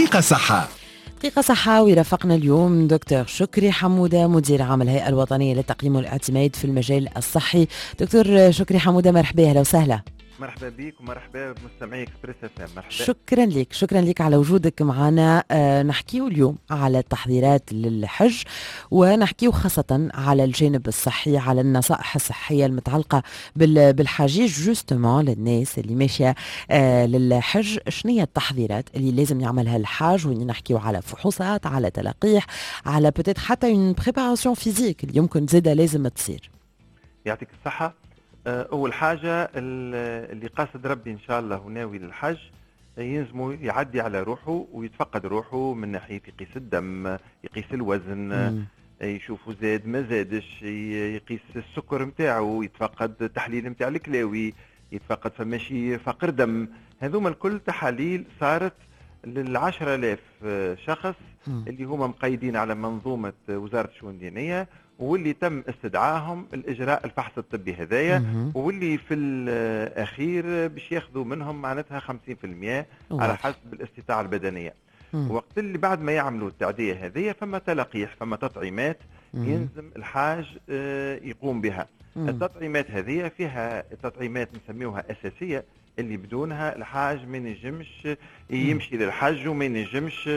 دقيقة صحة. دقيقة صحة، ويرافقنا اليوم دكتور شكري حمودة، مدير عام الهيئة الوطنية للتقييم والاعتماد في المجال الصحي. دكتور شكري حمودة، مرحبا، أهلا وسهلا. مرحبا بك ومرحبا بمستمعي Express FM. مرحبا. شكرا لك، شكرا لك على وجودك معنا. نحكيو اليوم على التحضيرات للحج، ونحكيو خاصة على الجانب الصحي، على النصائح الصحية المتعلقة بالحجيج، justement للناس اللي ماشية للحج. شنو هي التحضيرات اللي لازم يعملها الحاج؟ وين نحكيو على فحوصات، على تلقيح، على peut-être حتى une préparation physique اللي يمكن زادة لازم تصير. يعطيك الصحة. أول حاجة، اللي قاصد ربي إن شاء الله وناوي للحج يلزمو يعدي على روحه ويتفقد روحه من ناحية يقيس الدم، يقيس الوزن، يشوفوا زاد ما زادش، يقيس السكر نتاعو، يتفقد التحليل نتاع الكلاوي، يتفقد فماشي فقر دم. هذوما الكل تحاليل صارت لل10,000 شخص اللي هما مقيدين على منظومة وزارة الشؤون الدينية، واللي تم استدعاهم الإجراء الفحص الطبي هذايا، واللي في الأخير باش ياخذوا منهم معناتها 50% على حسب الاستطاعة البدنية. وقت اللي بعد ما يعملوا التعدية هذه، فما تلقيح، فما تطعيمات يلزم الحاج يقوم بها. التطعيمات هذه فيها تطعيمات نسميوها أساسية، اللي بدونها الحاج ما ينجمش يمشي للحج وما ينجمش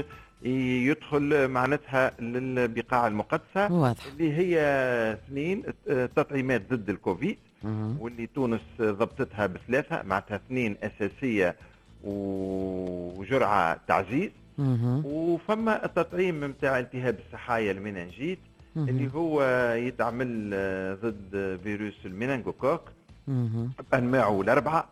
يدخل معناتها للبقاع المقدسة، اللي هي اثنين تطعيمات ضد الكوفيد، واللي تونس ضبطتها بثلاثة، معناتها اثنين أساسية وجرعة تعزيز. وفما التطعيم نتاع التهاب السحايا، ال méningite، اللي هو يتعمل ضد فيروس ال méningocoque بأنواعه الأربعة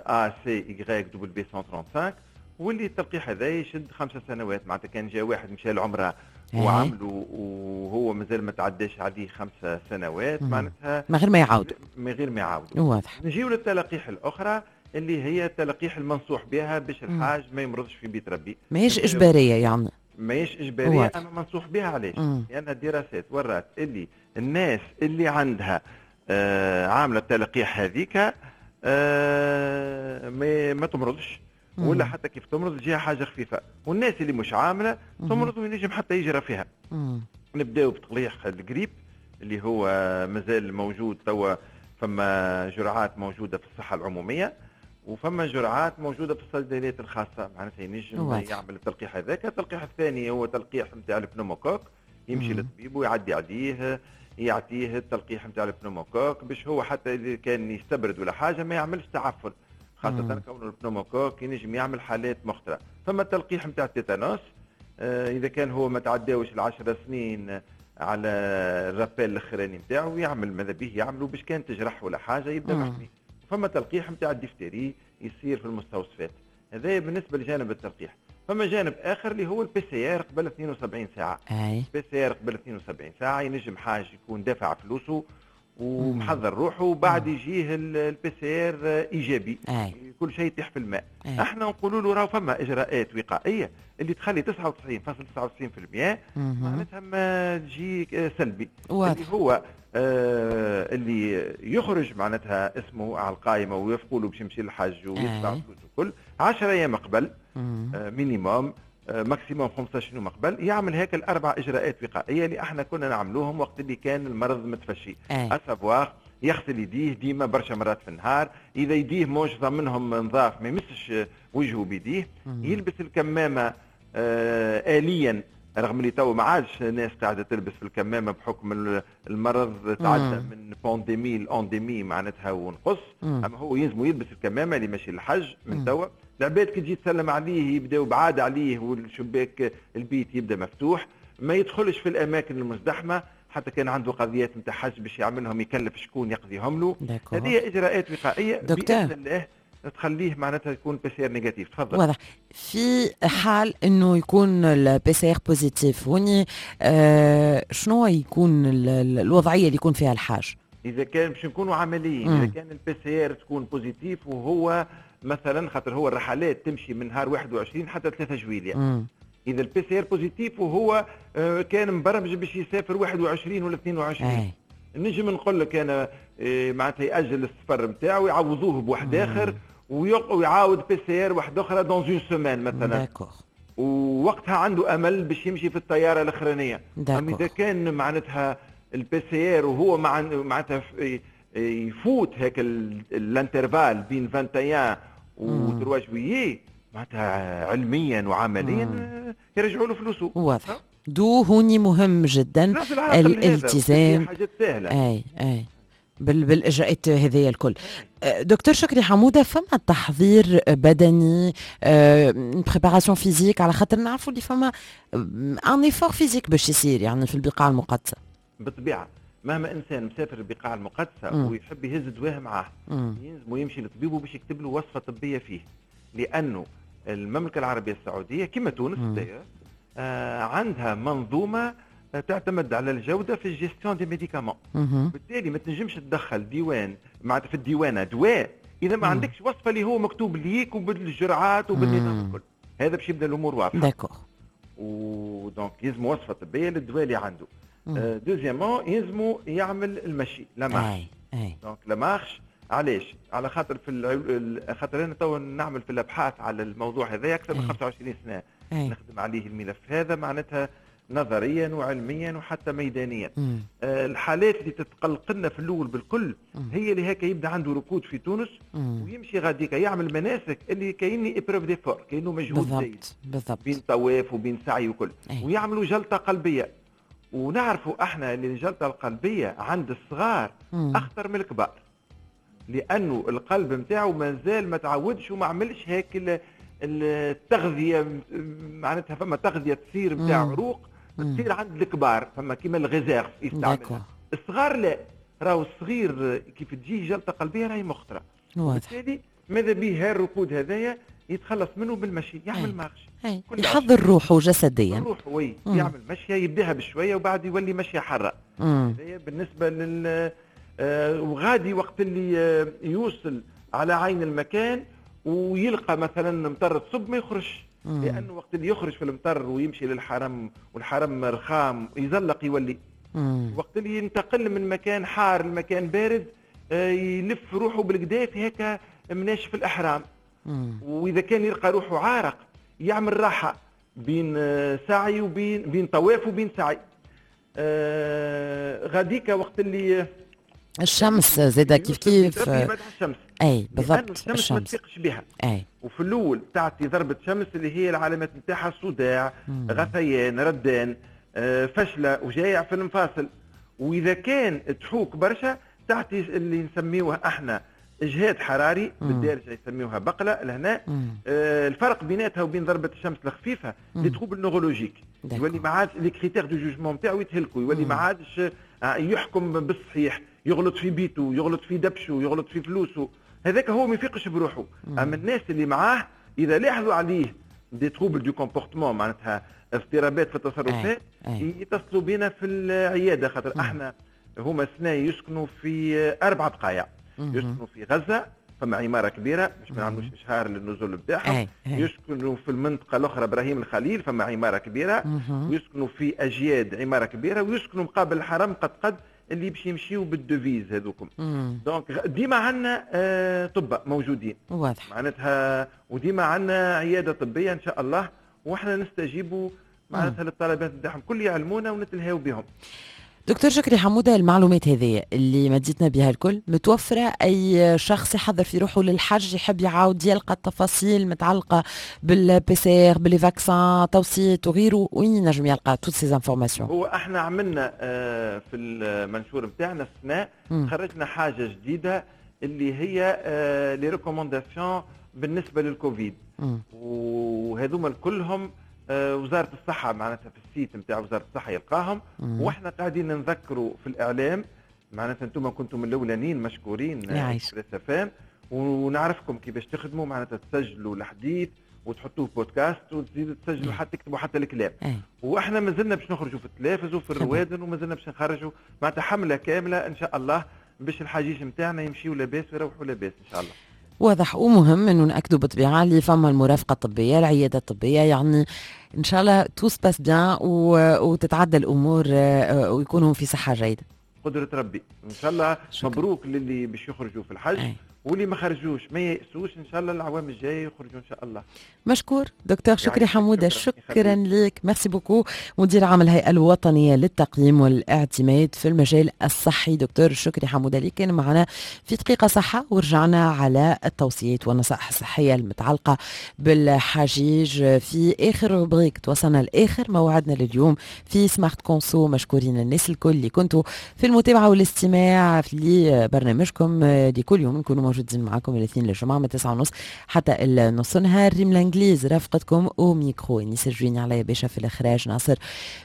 A C Y W 135، واللي التلقيح هذا يشد 5 سنوات. معناتها كان جا واحد مشى العمرة وعملوا وهو مازال ما تعداش عليه 5 سنوات، معناتها من غير ما يعاود. من غير ما يعاود. نجيو للتلقيح الاخرى، اللي هي التلقيح المنصوح بها باش الحاج ما يمرضش في بيت ربي. ماهيش اجباريه يعني. ماهيش اجباريه، اما منصوح بها. علاش؟ لان الدراسات ورات اللي الناس اللي عندها عامله التلقيح هذيك ما تمرضش، ولا حتى كيف تمرض تجيها حاجة خفيفه، والناس اللي مش عامله تمرض وينجم حتى يجرى فيها. نبداو بتلقيح الجريب اللي هو مازال موجود توا، فما جرعات موجودة في الصحة العمومية وفما جرعات موجودة في الصيدليات الخاصه، معناتها ينجم يعمل التلقيح هذاك. التلقيح الثاني هو تلقيح نتاع ال pneumocoque، يمشي للطبيب ويعدي عليه يعطيه التلقيح نتاع ال pneumocoque باش هو حتى اذا كان يستبرد ولا حاجة ما يعملش تعفن، خاصة كون ال pneumocoque ينجم يعمل حالات مخطرة. فما التلقيح نتاع التيتانوس، إذا كان هو ما تعداوش ال10 سنين على ال rappel الاخراني نتاعو، يعمل ماذا به يعملوا باش كان تجرح ولا حاجة يبدا محمي. فما تلقيح نتاع الدفتيري يصير في المستوصفات. هذا بالنسبة لجانب التلقيح. فما جانب اخر اللي هو ال PCR قبل 72 ساعه. PCR قبل 72 ساعه، ينجم حاج يكون دافع فلوسه ومحضر روحه وبعد يجيه ال PCR ايجابي، كل شيء يطيح في الماء. احنا نقولوا له راهو فما اجراءات وقائيه اللي تخلي 99.99% معناتها ما تجي سلبي، اللي هو اللي يخرج معناتها اسمه على القائمة ويوافقوا له باش يمشي للحج ويدفع فلوسه الكل، 10 ايام قبل minimum، maximum 15 يوم قبل، يعمل هيك الاربع اجراءات وقائيه اللي احنا كنا نعملوهم وقت اللي كان المرض متفشي، à savoir يغسل يديه ديما برشا مرات في النهار، اذا يديه موش ضامنهم نظاف ما يمسش وجهه بيديه، يلبس الكمامة آليا، رغم اللي تو ما عادش ناس قاعدة تلبس في الكمامة بحكم المرض تعدى من pandémie ل endémie معناتها ونقص، اما هو يلزم يلبس الكمامة اللي ماشي للحج من توا. العباد كي تجي تسلم عليه يبداو بعاد عليه والشباك البيت يبدا مفتوح، ما يدخلش في الاماكن المزدحمه، حتى كان عنده قضيات نتاع حج باش يعملهم يكلف شكون يقضيهم له. هذه اجراءات وقائيه باذن الله تخليه معناتها يكون PCR négatif. تفضل. واضح. في حال انه يكون ال PCR positif هوني، شنو يكون الوضعية اللي يكون فيها الحاج؟ اذا كان باش نكونوا عمليين، اذا كان ال PCR تكون positif وهو مثلا، خاطر هو الرحلات تمشي من نهار 21 حتى 3 جويليا، اذا ال PCR positif وهو كان مبرمج باش يسافر 21 ولا 22، نجم نقول لك انا معناتها ياجل السفر نتاعو، يعوضوه بواحد اخر. ويعاود PCR واحدة اخرى dans une semaine مثلا. d'accord. ووقتها عنده امل باش يمشي في الطيارة الاخرانيه. اما اذا كان معناتها ال PCR وهو معناتها يفوت هيك ال intervalle بين 21 و 3 juillet، معناتها علميا وعمليا يرجعوا له فلوسه. واضح. donc هوني مهم جدا الالتزام. حاجات سهله. اي بالاجراءات هذه الكل. دكتور شكري حموده، فما تحضير بدني، préparation physique، على خاطر نعرفوا اللي فما un effort physique باش يصير يعني في البقاع المقدسه. بالطبيعه، مهما انسان مسافر البقاع المقدسة ويحب يهز دواه معاه، يلزم يمشي لطبيبه باش يكتب له وصفه طبية فيه، لانه المملكة العربية السعودية كما تونس عندها منظومة تعتمد على الجودة في ال gestion des médicaments. بالتالي ما تنجمش تدخل ديوان، معناتها في الديوانه، دواء اذا ما عندكش وصفه اللي هو مكتوب ليك وبالجرعات وبالنظام الكل. هذا باش يبدا الامور واضحه. d'accord. و donc يلزم وصفه طبية للدواء اللي عنده. deuxièmement، يلزمو يعمل المشي، la marche. donc la marche علاش؟ على خاطر خاطر انا تو نعمل في الابحاث على الموضوع هذا اكثر من 25 سنه. نخدم عليه الملف هذا، معناتها نظريا وعلميا وحتى ميدانيا. الحالات اللي تتقلق لنا في الاول بالكل هي اللي هكا يبدا عنده ركود في تونس ويمشي غاديكا يعمل مناسك اللي كايني épreuve d'effort، كاينه مجهود زايد بين طواف وبين سعي وكل، ويعملوا جلطة قلبيه. ونعرفوا احنا اللي الجلطة القلبية عند الصغار اخطر من الكبار، لانه القلب نتاعو مازال ما تعودش وما عملش هيك التغذيه. معناتها فما تغذية تصير نتاع عروق تصير عند الكبار، فما كيما ال réserve يستعمل. الصغار لا، راهو الصغير كيف تجي جلطة قلبية راهي مخطره. وبالتالي ماذا به الركود هذايا يتخلص منه بالمشي، يعمل marche. يحضر روحه جسديا. روحه oui، يعمل مشيه، يبداها بشوية وبعد يولي مشيه حره. هذايا بالنسبة لل وغادي وقت اللي يوصل على عين المكان ويلقى مثلا مطر تصب ما يخرجش، لانه وقت اللي يخرج في المطر ويمشي للحرم والحرم رخام يزلق يولي. وقت اللي ينتقل من مكان حار لمكان بارد يلف روحه بالقدا في هكا مناشف الاحرام. واذا كان يلقى روحه عارق يعمل راحة بين سعي وبين بين طواف وبين سعي. غاديك وقت اللي الشمس زاده كيف كيف. الشمس اي بالضبط. الشمس, الشمس ما تفيقش بها. وفي الاول تعطي ضربه شمس اللي هي العلامات نتاعها صداع، غثيان، ردان، فشله، وجايع في المفاصل. واذا كان تحوك برشا تعطي اللي نسميوه احنا اجهاد حراري، بالدارجة يسميوها بقلة لهنا. الفرق بيناتها وبين ضربه الشمس الخفيفة les troubles neurologiques، يولي ما عادش les critères de jugement نتاعو يتهلكوا، يولي ما عادش يحكم بالصحيح، يغلط في بيته، يغلط في دبشه، يغلط في فلوسه. هذاك هو ما يفيقش بروحه. اما الناس اللي معاه اذا لاحظوا عليه des troubles du comportement، معناتها اضطرابات في التصرفات، يتصلوا بنا في العياده، خاطر احنا هما سنة يسكنوا في اربع بقايع. يسكنوا في غزه، فما عمارة كبيره، باش ما نعملوش اشهار للنزل بتاعهم. يسكنوا في المنطقة الاخرى ابراهيم الخليل، فما عمارة كبيره. ويسكنوا في اجياد، عمارة كبيره. ويسكنوا مقابل الحرم قد قد، اللي باش يمشيو بال devise هذوكم. donc ديما عندنا طباء موجودين. معناتها وديما عندنا عيادة طبية ان شاء الله، واحنا نستجيبوا معناتها للطلبات نتاعهم كل، يعلمونا ونتلهاو بهم. دكتور شكري حمودة، المعلومات هذه اللي مديتنا بها الكل متوفرة، أي شخص يحضر في روحه للحج يحب يعاود يلقى التفاصيل متعلقة بال PCR، ب les vaccins، توصيات وغيره، وين ينجم يلقى toutes ces informations؟ هو احنا عملنا في المنشور نتاعنا السنة خرجنا حاجة جديدة اللي هي les recommandations بالنسبة للكوفيد، وهذوما كلهم وزارة الصحه، معناتها في ال site نتاع وزارة الصحة يلقاهم. واحنا قاعدين نذكروا في الاعلام، معناتها انتم كنتم الاولانيين، مشكورين FM، ونعرفكم كيفاش تخدموا، معناتها تسجلوا الحديث وتحطوه بودكاست وتزيدوا تسجلوا حتى تكتبوا حتى الكلام. واحنا مازلنا باش نخرجوا في التلافز وفي الروادن، ومازلنا باش نخرجوا معناتها حمله كاملة ان شاء الله باش الحجيج نتاعنا يمشيوا لاباس ويروحوا لاباس ان شاء الله. واضح، ومهم انه ناكدوا بالطبيعة اللي فما المرافقة الطبيه، العيادة الطبيه، يعني ان شاء الله tout se passe bien وتتعدى الامور ويكونوا في صحة جيده. قدرة ربي ان شاء الله. شكرا. مبروك للي باش يخرجوا في الحج. واللي ما خرجوش ما يأسوش، ان شاء الله العوام الجاية يخرجوا ان شاء الله. مشكور دكتور شكري حموده، شكرا لك، merci beaucoup، مدير عام الهيئة الوطنية للتقييم والاعتماد في المجال الصحي دكتور شكري حموده اللي كان معنا في دقيقة صحه، ورجعنا على التوصيات والنصائح الصحية المتعلقة بالحجيج في اخر rubrique. توصلنا لاخر موعدنا لليوم في Smart Conso. مشكورين الناس الكل اللي كنتوا في المتابعة والاستماع في برنامجكم لكل يوم، نكونوا موجودين معكم الاثنين للجمعة من 9:30 حتى النص نهار. ريم الانجليز رافقتكم au micro، انيس الجويني علي باشا في الاخراج، ناصر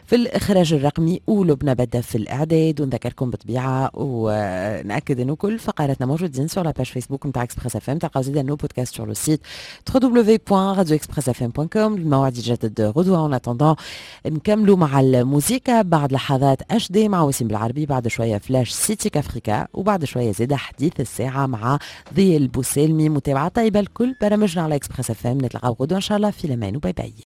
في الاخراج الرقمي، ولبنى بدا في الاعداد. ونذكركم بطبيعة وناكد انه كل فقراتنا موجودين sur la page Facebook نتاع Express FM، تلقاو زيد nos podcasts sur le site www.radioexpressfm.com. الموعد يتجدد غدوه. en attendant نكملوا مع الموسيقى بعد لحظات HD مع وسيم بالعربي، بعد شوية Flash City Africa، وبعد شوية زيادة حديث الساعة مع ضي البوسالمي. متابعه طيبة لكل برامجنا على Express FM. نتلقاو غدوه ان شاء الله، في الامان و bye bye.